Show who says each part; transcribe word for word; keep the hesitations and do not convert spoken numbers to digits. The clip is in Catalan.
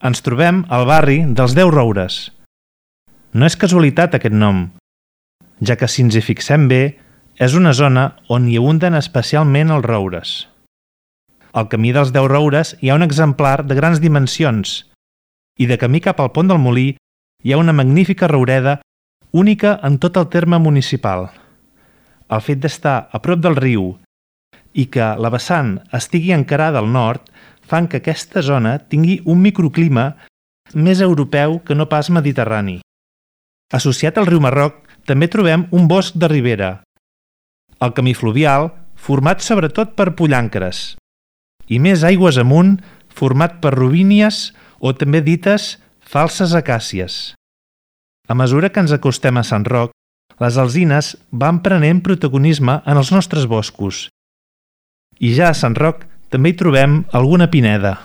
Speaker 1: Ens trobem al barri dels Deu Roures. No és casualitat aquest nom, ja que si ens hi fixem bé, és una zona on hi abunden especialment els roures. Al camí dels Deu Roures hi ha un exemplar de grans dimensions i de camí cap al pont del Molí hi ha una magnífica roureda única en tot el terme municipal. El fet d'estar a prop del riu i que la vessant estigui encarada al nord fan que aquesta zona tingui un microclima més europeu que no pas mediterrani. Associat al riu Marroc també trobem un bosc de ribera, el camí fluvial format sobretot per pollancres i més aigües amunt format per robínies o també dites falses acàcies. A mesura que ens acostem a Sant Roc, les alzines van prenent protagonisme en els nostres boscos i ja a Sant Roc també hi trobem alguna pineda.